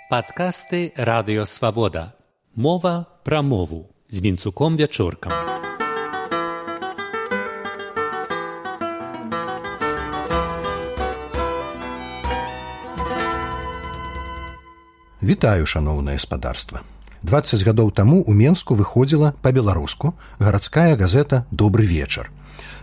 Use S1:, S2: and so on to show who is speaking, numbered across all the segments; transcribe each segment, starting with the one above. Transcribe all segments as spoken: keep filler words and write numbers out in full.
S1: Падкасты Радыё Свабода. Мова пра мову з Вінцуком Вячоркам.
S2: Вітаю, шаноўнае спадарства. дваццаць гадоў таму ў Менску выходзіла па-беларуску гарадская газета «Добры вечар».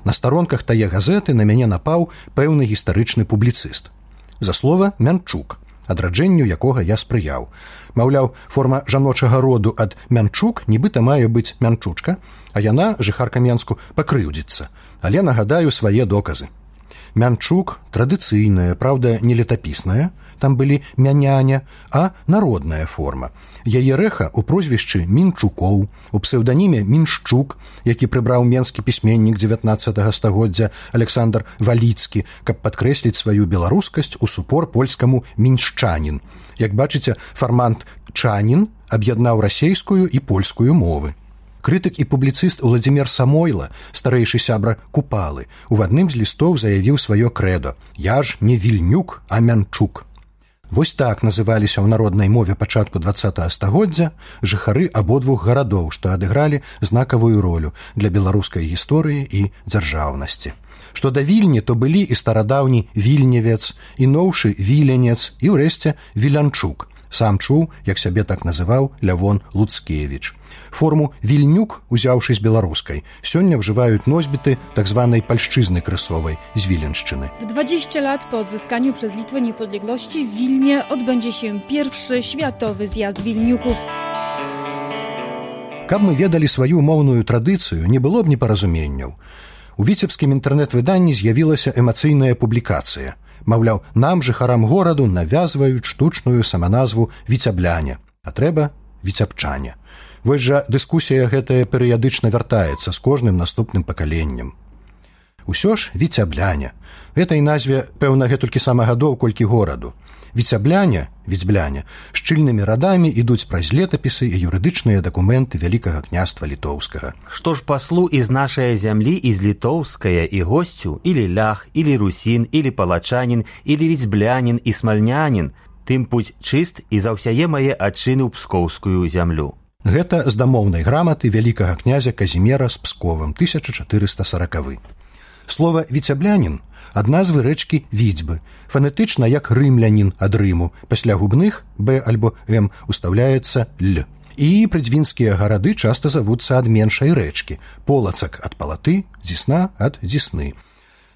S2: На старонках тае газеты на мяне напаў пэўны гістарычны публіцыст. За слова Мянчук, адраджэнню якога я спрыяў. Маўляў, форма жаночага роду ад Мянчук нібыта мае быць Мянчучка, а яна, жыхарка Менску, пакрыўдзіцца. Але нагадаю свае доказы. Мянчук традыцыйная, праўда, не летапісная, там былі мяняня, а народная форма. Яе рэха ў прозвішчы Мінчукоў, у псеўданіме Міншчук, які прыбраў менскі пісьменнік дзевятнаццатага стагоддзя Александр Валіцкі, каб падкрэсліць сваю беларускасць у супор польскаму міншчанін. Як бачыце, фармант «чанін» аб'яднаў расейскую і польскую мовы. Крытык і публіцыст Уладзімір Самойла, старэйшы сябра Купалы, у адным з лістоў заявіў сваё крэдо: «Я ж не Вільнюк, а Мянчук». Вось так называліся ў народнай мове пачатку дваццатага стагоддзя жыхары абодвух гарадоў, што адыгралі знакавую ролю для беларускай гісторыі і дзяржаўнасці. Што да Вільні, то былі і старадаўні Вільневец, і новшы Віленец, і ўрэшце Вілянчук. Сам чуў, як сябе так называў Лявон Луцкевіч. Форму «Вільнюк», узяўшы з беларускай, сёння ўжываюць носьбіты так зваnej польszczyzny krysowej z Wileńszczyny.
S3: W dwadzieścia lat po odzyskaniu przez Litwę niepodległości w Wilnie odbędzie się pierwszy światowy zjazd Wilniuków.
S2: Каб мы ведалі сваю моўную традыцыю, не было б непаразуменняў. У віцебскім інтэрнэт-выданні з'явілася эмацыйная публікацыя. Маўляў, нам, жыхарам гораду, навязваюць штучную саманазву «Віцябляне», а трэба «Віцябчане». Вось жа дыскусія гэтая перыядычна вяртаецца з кожным наступным пакаленнем. Усё ж «Віцябляне». Гэтай назве, пэўна, гэтулькі сама гадоў, колькі гораду. «Віцябляне», «Віцьбляне» шчыльнымі радамі ідуць праз летапісы і юрыдычныя дакументы Вялікага княства Літоўскага.
S4: Што ж паслу из нашай зямлі, из літоўская і госцю, или лях, или русін, или палачанін, или віцьблянін і смальнянін, тым путь чыст і заўсяе мае адчыны ў пскоўскую зямлю.
S2: Гэта з дамоўнай граматы вялікага князя Казімера з Псковым, тысяча чатырыста саракавы. Слова «віцяблянін» ад назвы рэчкі Віцьбы, фанетычна як рымлянін ад Рыму, пасля губных «б» альбо «м» устаўляецца «л». І прыдзвінскія гарады часта завуцца ад меншай рэчкі, Полацак ад Палаты, Дзісна ад Дзісны.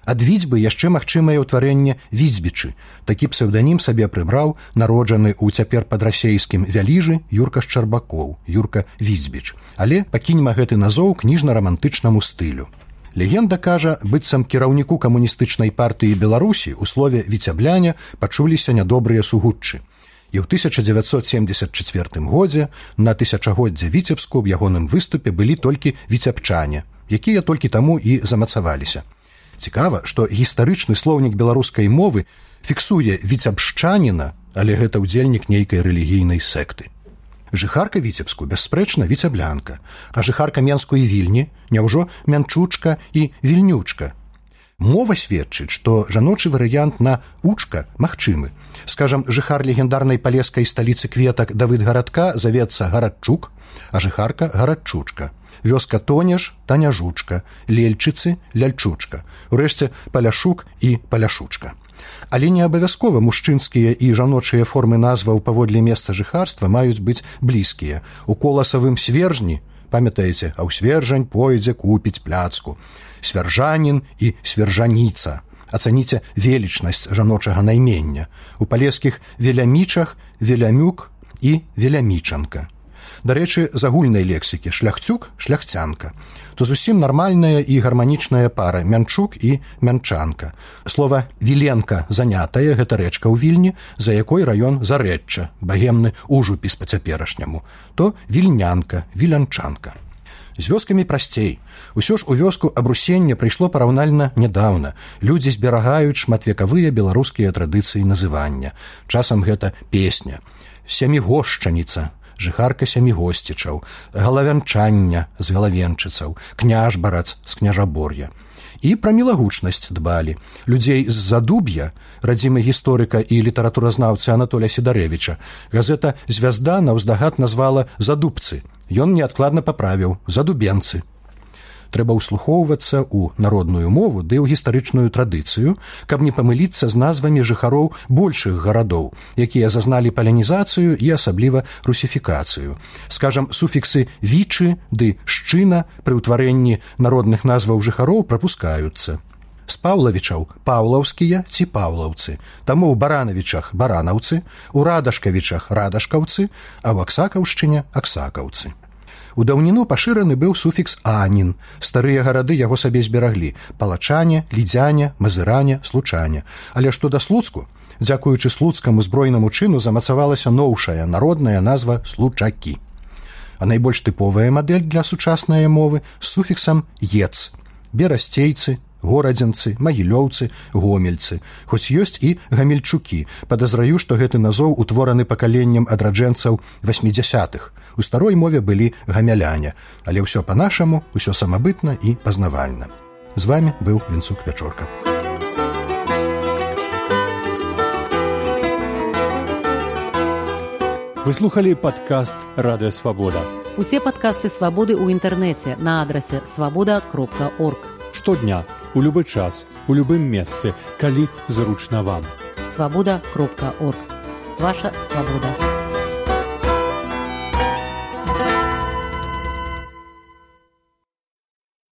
S2: Ад Віцьбы яшчэ магчымае ўтварэнне Віцьбічы. Такі псеўданім сабе прыбраў народжаны ў цяпер падрасейскім Вяліжы Юрка Шчарбакоў, Юрка Віцьбіч. Але пакіньма гэты назоў кніжна-рамантычнаму стылю. Легенда кажа, быццам кіраўніку камуністычнай партыі Беларусі ў слове «віцябляне» пачуліся нядобрыя сугуччы. І ў тысяча дзевяцьсот семдзесят чацвёртым годзе на тысячагоддзе Віцебску ў ягоным выступе былі толькі віцябчане, якія толькі таму і замацаваліся. Цікава, што гістарычны слоўнік беларускай мовы фіксуе віцябшчаніна, але гэта ўдзельнік нейкай рэлігійнай секты. Жыхарка Віцебску, бясспрэчна, віцяблянка, а жыхарка Менску і Вільні няўжо Мянчучка і Вільнючка. Мова сведчыць, што жаночы варыянт на «учка» магчымы. Скажам, жыхар легендарнай палескай сталіцы кветак Давыдгарадка завецца Гарадчук, а жыхарка Гарадчучка. Вёска Тонеж – Таняжучка, Лельчыцы – Ляльчучка, урэшце Паляшук і Паляшучка. Але не абавязкова мужчынскія і жаночыя формы назваў паводле месца жыхарства маюць быць блізкія. У коласавым свержні, памятаеце, а ў свержань пойдзе купіць пляцку. Свяржанін і свяржаніца. Ацаніце велічнасць жаночага наймення. У палескіх велямічах велямюк і велямічанка. Дарэчы, з агульнай лексікі шляхцюк – шляхцянка. То зусім нармальная і гарманічная пара Мянчук і Мянчанка. Слова «віленка» занятая – гэта рэчка ў Вільні, за якой раён Зарэчча, багемны ужупіс па-цяперашняму. То вільнянка, вілянчанка. З вёскамі прасцей. Усё ж у вёску абрусення прыйшло параўнальна нядаўна. Людзі зберагаюць шматвекавыя беларускія традыцыі называння. Часам гэта песня. Сямігошчаніца, жыхарка сямігосцічаў, галавянчання з галавенчыцаў, княжбарац з княжабор'я. І пра мілагучнасць дбалі. Людзей з Задуб'я, радзімы гісторыка і літаратуразнаўцы Анатоля Сідарэвіча, газета «Звязда» наўздагад назвала «задубцы». Ён неадкладна паправіў «задубенцы». Трэба ўслухоўвацца ў народную мову ды ў гістарычную традыцыю, каб не памыліцца з назвамі жыхароў большых гарадоў, якія зазналі палянізацыю і асабліва русіфікацыю. Скажам, суфіксы «вічы» ды «шчына» пры ўтварэнні народных назваў жыхароў прапускаюцца. З паўлавічаў паўлаўскія ці паўлаўцы, таму ў баранавічах баранаўцы, у радашкавічах радашкаўцы, а ў аксакаўшчыне аксакаўцы. У даўніну пашыраны быў суфікс «анін». Старыя гарады яго сабе збераглі – палачане, лідзяне, мазыране, случане. Але што да Слуцку, дзякуючы слуцкаму збройнаму чыну замацавалася новшая народная назва «случакі». А найбольш тыповая мадэль для сучаснай мовы з суфіксам «ец» – берасцейцы, горадзенцы, магілёўцы, гомельцы. Хоць ёсць і гамельчукі. Падазраю, што гэты назоў утвораны пакаленнем адраджэнцаў васьмідзясятых. У старой мове былі гамяляне, але ўсё па-нашаму, усё самабытна і пазнавальна. З вамі быў Вінцук Пячорка.
S5: Вы слухали падкаст «Радыё Свабода».
S6: Усе падкасты «Свабоды» ў інтэрнэце на адрасе свабода кропка орг.
S5: Штодня, у любы час, у любым месцы, калі зручна вам.
S6: свабода кропка орг. Ваша свабода.